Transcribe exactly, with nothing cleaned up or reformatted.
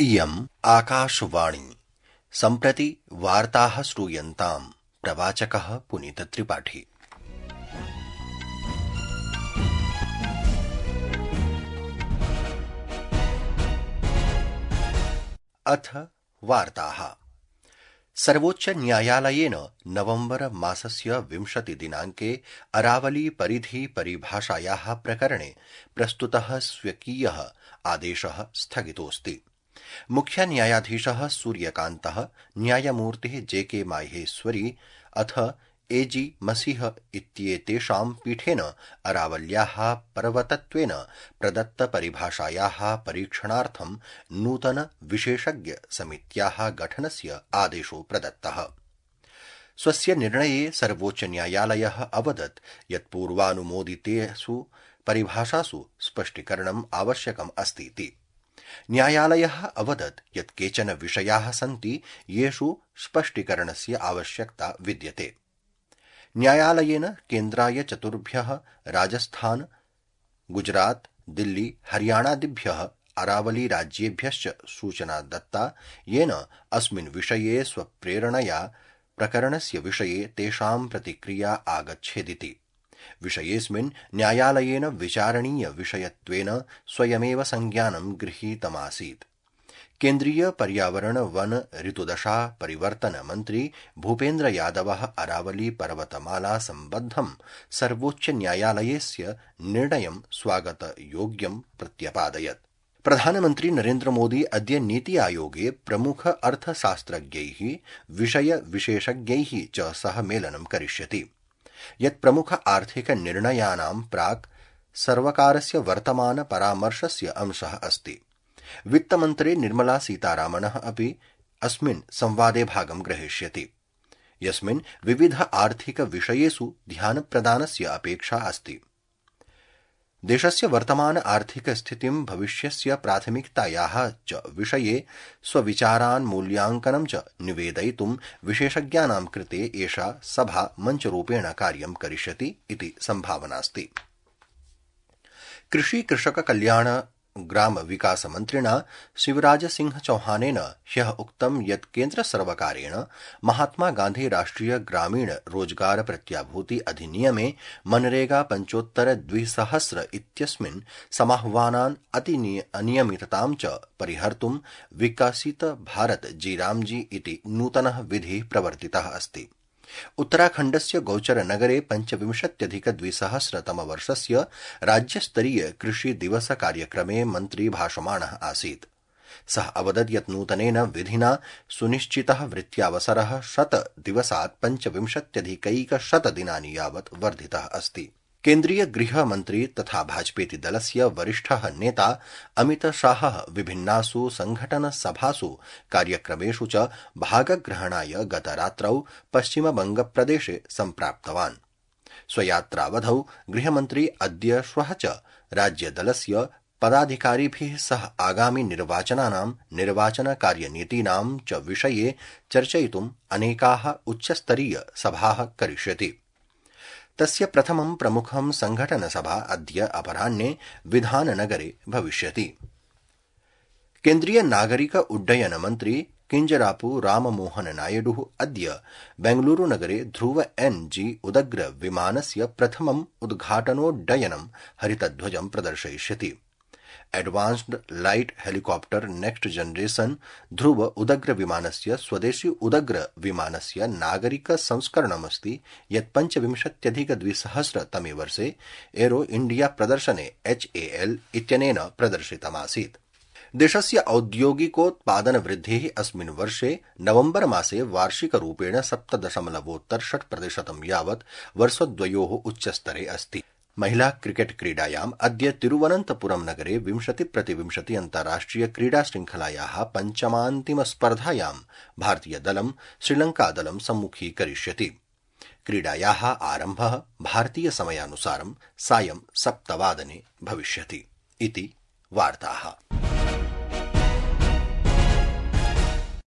इयम् आकाशवाणी सम्प्रति वार्ताः श्रूयन्ताम्। प्रवाचकः पुनीतत्रिपाठी। अथ वार्ताः। सर्वोच्च न्यायालयेन नवम्बर मासस्य विंशति दिनाङ्के अरावली परिधि परिभाषायाः प्रकरणे प्रस्तुतः स्वकीयः आदेशः स्थगितोऽस्ति। मुख्य न्यायाधीशः सूर्यकान्तः, न्यायमूर्तिः जे के माहेश्वरी अथ ए जी मसीह इत्येतेषां पीठेन अरावल्याः पर्वतत्वेन प्रदत्तपरिभाषायाः परीक्षणार्थं नूतन विशेषज्ञ समित्याः गठनस्य आदेशो प्रदत्तः। स्वस्य निर्णये सर्वोच्च न्यायालयः अवदत् यत् पूर्वानुमोदितेषु परिभाषासु स्पष्टीकरणम् आवश्यकम् अस्तीति। न्यायालयः अवदत् यत् केचन विषयाः सन्ति येषु स्पष्टीकरणस्य आवश्यकता विद्यते। न्यायालयेन केन्द्राय चतुर्भ्यः राजस्थान, गुजरात, दिल्ली, हरियाणादिभ्यः अरावली राज्येभ्यश्च सूचना दत्ता, येन अस्मिन् विषये स्वप्रेरणया प्रकरणस्य विषये तेषां प्रतिक्रिया आगच्छेदिति। विषयेऽस्मिन् न्यायालयेन विचारणीय विषयत्वेन स्वयमेव संज्ञानं गृहीतमासीत्। केन्द्रीय पर्यावरण वन ऋतुदशा परिवर्तन मन्त्री भूपेन्द्र यादवः अरावली पर्वतमाला सम्बद्धं सर्वोच्च न्यायालयस्य निर्णयं स्वागतयोग्यं प्रत्यपादयत्। प्रधानमन्त्री नरेन्द्र मोदी अद्य नीति आयोगे प्रमुख अर्थशास्त्रज्ञैः, विषय विशेषज्ञैः च सह मेलनं करिष्यति, यत् प्रमुख आर्थिक निर्णयानां प्राक् सर्वकारस्य वर्तमान परामर्शस्य अंशः अस्ति। वित्तमन्त्री निर्मला सीतारामनः अपि अस्मिन् संवादे भागं ग्रहीष्यति, यस्मिन् विविध आर्थिक विषयेषु ध्यानप्रदानस्य अपेक्षा अस्ति। देशस्य वर्तमान आर्थिक स्थितिं, भविष्यस्य प्राथमिकतायाः च विषये स्वविचारान् मूल्याङ्कनं च निवेदयितुं विशेषज्ञानां कृते एषा सभा मञ्चरूपेण कार्यं करिष्यति इति सम्भावनास्ति। कृषि कृषक कल्याण ग्राम विकास मन्त्रिणा शिवराज सिंह चौहानेन ह्यः उक्तं यत् केन्द्र सर्वकारेण महात्मा गान्धी राष्ट्रिय ग्रामीण रोजगार प्रत्याभूति अधिनियमे मनरेगा पञ्चोत्तर द्विसहस्र इत्यस्मिन् समाह्वानान् अनियमिततां च परिहर्तुं विकसित भारत जी रामजी इति नूतनः विधिः प्रवर्तितः अस्ति। उत्तराखण्डस्य गौचर नगरे पञ्चविंशत्यधिक द्विसहस्रतमवर्षस्य राज्यस्तरीय कृषि दिवस कार्यक्रमे मन्त्री भाषमाणः आसीत्। सः अवदत् यत् नूतनेन विधिना सुनिश्चितः वृत्त्यावसरः शत दिवसात् पञ्चविंशत्यधिकैकशत दिनानि यावत् वर्धितः अस्ति। केन्द्रीय गृहमन्त्री तथा भाजपेति दलस्य वरिष्ठः नेता अमित शाहः विभिन्नासु संघटनसभासु कार्यक्रमेषु च भागग्रहणाय गतरात्रौ पश्चिमबंगप्रदेशे सम्प्राप्तवान्। स्वयात्रावधौ गृहमन्त्री अद्य श्वः च राज्यदलस्य पदाधिकारिभिः सह आगामि निर्वाचनानां निर्वाचनकार्यनीतीनां च विषये चर्चयितुम् अनेकाः उच्चस्तरीय सभाः करिष्यति। तस्य प्रथमं प्रमुखं संघटनसभा अद्य अपराह्ने विधाननगरे भविष्यति। केन्द्रीय नागरिक उड्डयन मन्त्री किंजरापु राममोहन नायडुः अद्य बेंगलुरुनगरे ध्रुव एन जी उदग्र विमानस्य प्रथमम् उद्घाटनोड्डयनं हरितध्वजं प्रदर्शयिष्यति। Advanced light helicopter next generation Dhruv उदग्र विमानस्य स्वदेशी उदग्र विमानस्य नागरिक संस्करणमस्ति, यत् पञ्चविंशत्यधिक द्विसहस्रतमे वर्षे एरो इंडिया प्रदर्शने एच ए एल इत्यनेन प्रदर्शितमासीत्। देशस्य औद्योगिकोत्पादन वृद्धिः अस्मिन् वर्षे नवम्बर मासे वार्षिकरूपेण सप्त दशमलवोत्तर षट् प्रतिशतं यावत् वर्षद्वयोः उच्चस्तरे अस्ति। महिला क्रिकेट क्रीडायाम् अद्य तिरुवनन्तपुरम् नगरे विंशति प्रतिविंशति अन्ताराष्ट्रिय क्रीडा शृङ्खलायाः पञ्चमान्तिमस्पर्धायां भारतीयदलं श्रीलङ्कादलं सम्मुखीकरिष्यति। क्रीडायाः आरम्भः भारतीय समयानुसारं सायं सप्तवादने भविष्यति इति वार्ताः।